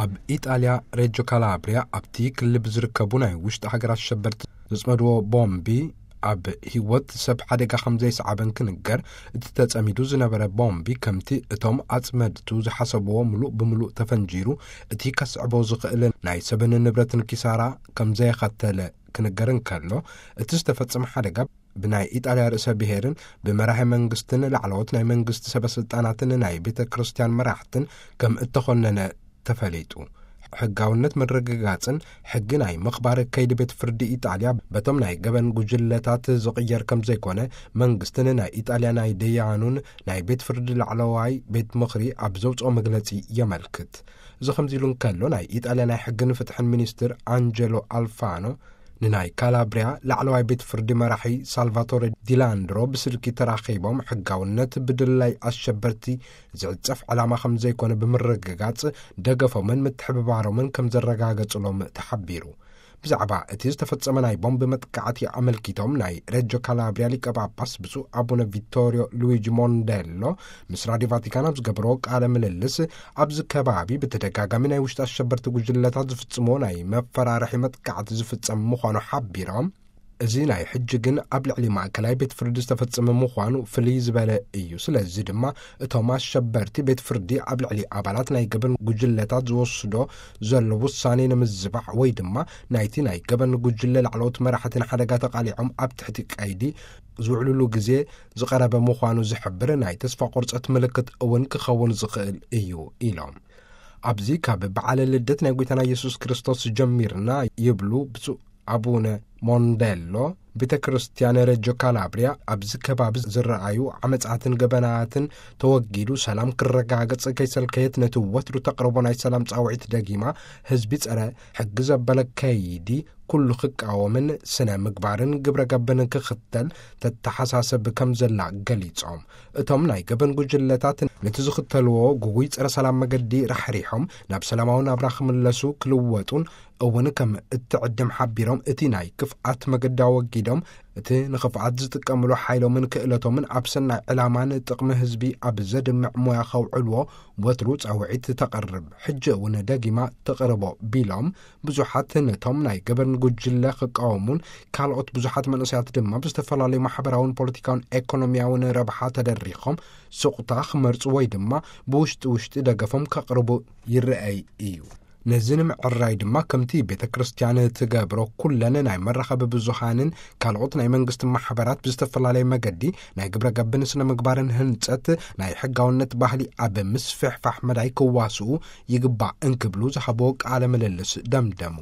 ኣብ ኢጣልያ ሬጆ ካላብሪያ ኣብቲ ክልል ብዝርከቡ ናይ ውሽጢ ሃገራት ሸበርቲ ዘጽመድዎ ቦምቢ ኣብ ህይወት ሰብ ሓደጋ ከም ዘይሰዓበን ክንገር፣ እቲ ተጸሚዱ ዝነበረ ቦምቢ ከምቲ እቶም ኣጽመድቱ ዝሓሰብዎ ምሉእ ብምሉእ ተፈንጂሩ፣ እቲ ከስዕቦ ዝኽእል ናይ ሰብን ንብረትን ኪሳራ ከም ዘየኸተለ ክንገር እንከሎ፣ እቲ ዝተፈጸመ ሓደጋ ብናይ ኢጣልያ ርእሰ ብሔርን ብመራሒ መንግስትን ላዕለዎት ናይ መንግስቲ ሰበ ስልጣናትን ናይ ቤተ ክርስቲያን መራሕትን ከም እተኾነነ ተፈሊጡ። ሕጋውነት ምርግጋጽን ሕጊ ናይ ምኽባር ከይዲ ቤት ፍርዲ ኢጣልያ በቶም ናይ ገበን ጉጅለታት ዝቕየር ከም ዘይኮነ መንግስትን ናይ ኢጣልያ ናይ ደያኑን ናይ ቤት ፍርዲ ላዕለዋይ ቤት ምኽሪ ኣብ ዘውፅኦ መግለጺ የመልክት። እዚ ከምዚ ኢሉ እንከሎ፣ ናይ ኢጣልያ ናይ ሕግን ፍትሕን ሚኒስትር ኣንጀሎ ኣልፋኖ ንናይ ካላብሪያ ላዕለዋይ ቤት ፍርዲ መራሒ ሳልቫቶሬ ዲላንድሮ ብስልኪ ተራኺቦም፣ ሕጋውነት ብድላይ ኣሸበርቲ ዝዕጸፍ ዕላማ ከም ዘይኮነ ብምርግጋጽ፣ ደገፎምን ምትሕብባሮምን ከም ዘረጋገጽሎም ተሓቢሩ። ብዛዕባ እቲ ዝተፈጸመ ናይ ቦምብ መጥቃዕቲ ኣመልኪቶም፣ ናይ ሬጆ ካላብሪያ ሊቀ ጳጳስ ብፁዕ ኣቡነ ቪቶሪዮ ሉዊጂ ሞንዴሎ ምስ ራዲዮ ቫቲካን ኣብ ዝገበርዎ ቃለ ምልልስ፣ ኣብዚ ከባቢ ብተደጋጋሚ ናይ ውሽጢ ኣሸበርቲ ጉጅለታት ዝፍጽምዎ ናይ መፈራርሒ መጥቃዕቲ ዝፍጸም ምዃኑ ሓቢሮም፣ እዚ ናይ ሕጂ ግን ኣብ ልዕሊ ማእከላይ ቤት ፍርዲ ዝተፈጸመ ምዃኑ ፍልይ ዝበለ እዩ። ስለዚ ድማ እቶም ኣሸበርቲ ቤት ፍርዲ ኣብ ልዕሊ ኣባላት ናይ ገበን ጉጅለታት ዝወስዶ ዘሎ ውሳኔ ንምዝባዕ ወይ ድማ ናይቲ ናይ ገበን ጉጅለ ላዕለዎት መራሕቲ ንሓደጋ ተቓሊዖም ኣብ ትሕቲ ቀይዲ ዝውዕሉሉ ግዜ ዝቐረበ ምዃኑ ዝሕብር ናይ ተስፋ ቁርጸት ምልክት እውን ክኸውን ዝኽእል እዩ ኢሎም። ኣብዚ ካብ በዓለ ልደት ናይ ጐይታና ኢየሱስ ክርስቶስ ጀሚርና ይብሉ ብፁዕ ኣቡነ ሞንዴሎ፣ ቤተ ክርስቲያን ሬጆ ካላብሪያ ኣብዚ ከባቢ ዝረኣዩ ዓመጻትን ገበናትን ተወጊዱ ሰላም ክረጋገጽ ከይሰልከየት ነቲ ወትሩ ተቕርቦ ናይ ሰላም ጻውዒት ደጊማ፣ ህዝቢ ጸረ ሕጊ ዘበለ ከይዲ ኩሉ ክቃወምን ስነ ምግባርን ግብረ ገብን ክኽተል ተተሓሳሰብ ከም ዘላ ገሊጾም፣ እቶም ናይ ገበን ጉጅለታት ነቲ ዝኽተልዎ ጉጉይ ጸረ ሰላም መገዲ ራሕሪሖም ናብ ሰላማዊ ናብራ ክምለሱ ክልወጡን እውን ከም እትዕድም ሓቢሮም፣ እቲ ናይ ክፍኣት መገዲ ኣወጊዶም እቲ ንኽፍኣት ዝጥቀምሉ ሓይሎምን ክእለቶምን ኣብ ሰናይ ዕላማን ጥቕሚ ህዝቢ ኣብ ዘድምዕ ሞያ ከውዕልዎ ወትሩ ጻውዒት ተቕርብ። ሕጂ እውን ደጊማ ተቕርቦ ቢሎም፣ ብዙሓት ነቶም ናይ ገበን ጉጅለ ክቃወሙን ካልኦት ብዙሓት መንእሰያት ድማ ብዝተፈላለዩ ማሕበራውን ፖለቲካውን ኤኮኖሚያውን ረብሓ ተደሪኾም ስቑታ ክመርጹ ወይ ድማ ብውሽጢ ውሽጢ ደገፎም ከቕርቡ ይረኣይ እዩ። ነዚ ንምዕራይ ድማ ከምቲ ቤተ ክርስቲያን ትገብሮ ኩለን ናይ መራኸቢ ብዙሃንን ካልኦት ናይ መንግስቲ ማሕበራት ብዝተፈላለየ መገዲ ናይ ግብረ ገብን ስነ ምግባርን ህንጸት ናይ ሕጋውነት ባህሊ ኣብ ምስፍሕፋሕ መዳይ ክዋስኡ ይግባእ እንክብሉ ዝሃብዎ ቃለ ምልልስ ደምደሙ።